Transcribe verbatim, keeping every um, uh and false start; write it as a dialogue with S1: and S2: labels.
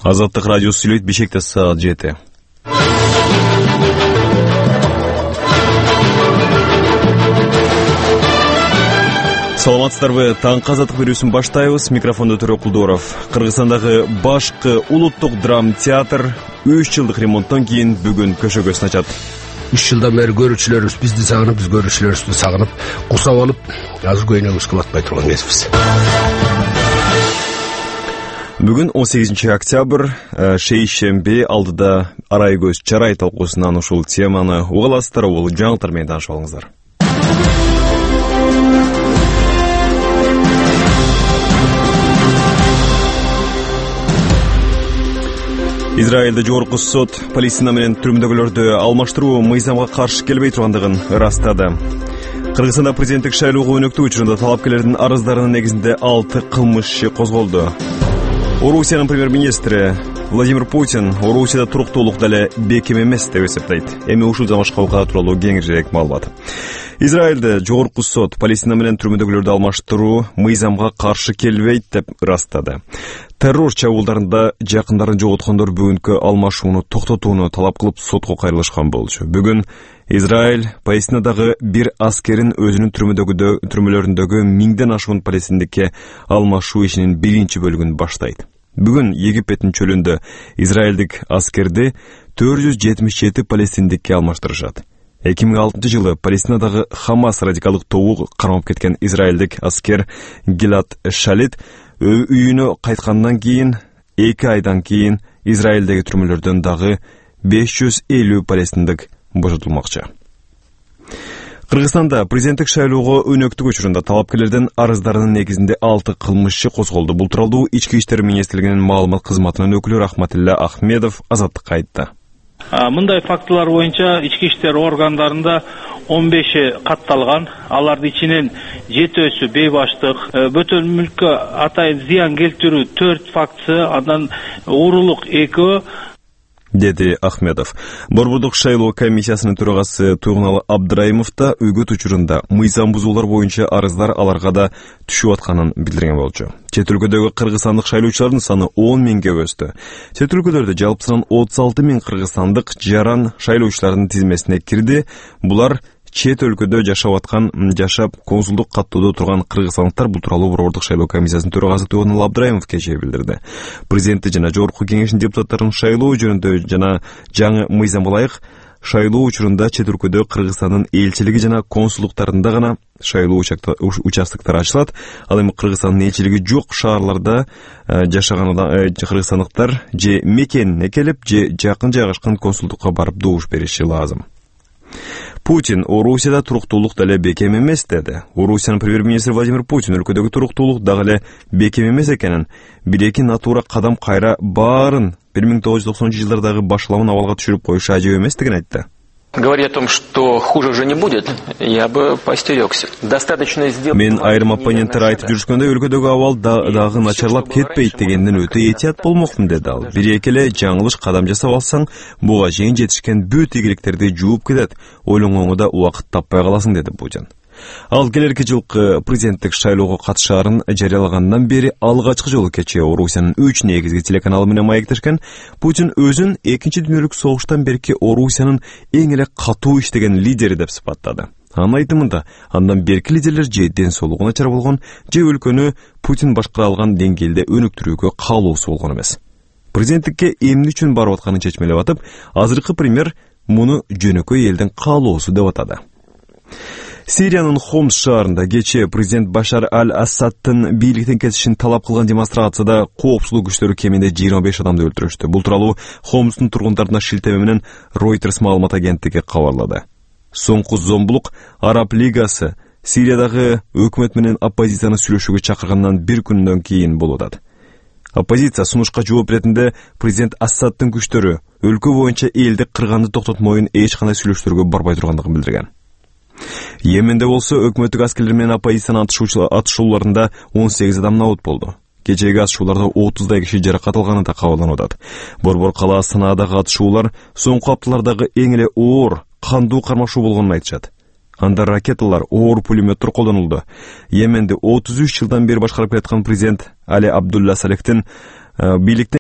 S1: Азаттык радиосу сүйлөйт, Бишкекте саат жети. Саламатсыздарбы? Таңкы азаттык берүүсүн баштайбыз. Микрофондо Төрө Кулдоров. Кыргызстандагы башкы улуттук драма театр үч жылдык ремонттон кийин бүгүн көшөгөсүн ачат.
S2: үч жылдан бери көрүүчүлөрүбүз бизди сагынып, биз көрүүчүлөрүбүздү сагынып, курсап алып, азыр көйнөгүбүз кылып атпай турган кезибиз.
S1: Бүгүн он сегизинчи октябрь, шейшемби алдыда арай көз чарай талкуусунан ушул теманы угаласыздар, бул жаңылыктар менен таанышып алыңыздар. Израилде жогорку сот Палестина менен түрмөдөгүлөрдү алмаштыруу мыйзамга каршы келбей тургандыгын ырастады. Кыргызстанда президенттик шайлоого өнөктүү учурунда талапкерлердин арыздарынын негизинде алты кылмыш иши козголду. Орусиянын премьер-министри Владимир Путин Орусияда туруктуулук деле бекем эмес деп эсептейт. Эми ушул жамашка окуя тууралуу кеңирээк маалымат. Израилде жогорку сот Палестина менен түрмөдөгүлөрдү алмаштыруу мыйзамга каршы келбейт деп ырастады. Террор чабуулдарында жакындарын жоготкондор бүгүнкү алмашууну токтотууну талап кылып сотко кайрылышкан болчу. Бүгүн Израиль Палестинадагы бир аскерин өзүнүн түрмөлөрүндөгү миңден ашуун палестиндикке алмашуу ишинин биринчи бөлүгүн баштайт. Бүгүн Египеттин чөлүндө израилдик аскерди төрт жүз жетимиш жети палестиндикке алмаштырышат. эки миң алтынчы жылы Палестинадагы Хамас радикалдык тобу кармап кеткен израилдик аскер Гилад Шалит үйүнө кайткандан кийин эки айдан кийин Израилдеги түрмөлөрдөн дагы беш жүз элүү палестиндик бошотулмакчы. Кыргызстанда президенттик шайлоого өнөктүк учурунда талапкерлердин арыздарынын негизинде алты кылмыш иши козголду. Бул тууралуу Ички иштер министрлигинин маалымат кызматынын өкүлү Рахматилла Ахмедов Азаттыкка айтты.
S3: Мындай фактылар боюнча ички иштер органдарында он беши катталган. Алардын ичинен жетөөсү бейбаштык, бөтөн мүлккө атайын зыян келтирүү төрт фактысы, андан уурулук экөө,
S1: деди Ахмедов. Борбордук шайлоо комиссиясынын төрагасы Туйгуналы Абдраимов да үгөт учурунда мыйзам бузуулар боюнча арыздар аларга да түшүп атканын билдирген болчу. Чет өлкөдөгү кыргызстандык шайлоочулардын саны он миңге өстү. Чет өлкөлөрдө жалпысынан отуз алты миң кыргызстандык жаран шайлоочулардын тизмесине кирди. Булар чет өлкөдө жашап аткан, жашап консулдук каттоодо турган кыргызстандыктар. Бул тууралуу Борбордук шайлоо комиссиясынын төрагасы Туйгуналы Абдраимов кечээ билдирди. Президенти жана жогорку кеңештин депутаттарын шайлоо жөнүндө жана жаңы мыйзамга ылайык шайлоо учурунда чет өлкөдө Кыргызстандын элчилиги жана консулдуктарында гана шайлоо участоктары ачылат. Ал эми Кыргызстандын элчилиги жок шаарларда жашаган кыргызстандыктар же мекенине келип, же жакын жайгашкан консулдукка барып добуш бериши лазым. Путин Орусияда туруктуулук деле бекем эмес деди. Орусиянын премьер-министри Владимир Путин өлкөдөгү туруктуулук дагы эле бекем эмес экенин, бир-эки натура кадам кайра баарын бир миң тогуз жүз токсонунчу жылдардагы башаламын абалга түшүрүп коюшу ажеп эместигин айтты.
S4: Говоря о том, что хуже уже не будет, я бы поостерёгся. Достаточно сделать.
S1: Мен айрым оппоненттер айтып жүрүшкөндө өлкөдөгү абал дагы начарлап кетпейт дегенден өтө этият болмокмун деди ал. Бир-эки эле жаңылыш кадам жасап алсаң, буга чейин жетишкен бүт ийгиликтерди жууп кетет. Ойлонгонго да убакыт таппай каласың деди Путин. Ал келерки жылкы президенттик шайлоого катышаарын жарыялагандан бери алгачкы жолу кечээ Орусиянын үч негизги телеканалы менен маектешкен. Путин өзүн экинчи дүйнөлүк согуштан берки Орусиянын эң эле катуу иштеген лидери деп сыпаттады. Анын айтымында, андан берки лидерлер же ден соолугу начар болгон, же өлкөнү Путин башкара алган деңгээлде өнүктүрүүгө каалоосу болгон эмес. Президенттикке эмне үчүн барып атканын чечмелеп атып, азыркы премьер муну жөнөкөй элдин каалоосу деп атады. Сириянын Хомс шаарында кечээ президент Башар аль-Асадтын бийликтен кетишин талап кылган демонстрацияда коопсуздук күчтөрү кеминде жыйырма беш адамды өлтүрүштү. Бул тууралуу Хомстун тургундарына шилтеме менен Reuters маалымат агенттиги кабарлады. Соңку зомбулук Араб лигасы Сириядагы өкмөт менен оппозицияны сүйлөшүүгө чакыргандан бир күндөн кийин болуп атат. Оппозиция сунушка жооп беретинде президент Асадтын күчтөрү өлкө боюнча элди кырганды токтотмоюн эч кандай сүйлөшүүлөргө барбай тургандыгын билдирген. Йеменде болсо өкмөттүк аскерлер менен оппозициянын атышууларында он сегиз адам набут болду. Кечээги атышууларда отуздай киши жаракат алганы да кабарланып атат. Борбор калаа Санаадагы атышуулар соңку апталардагы эң эле оор кандуу кармашуу болгонун айтышат. Анда ракеталар, оор пулеметтер колдонулду. Йеменде отуз үч жылдан бери башкарып келаткан президент Али Абдулла Салехтин бийликтен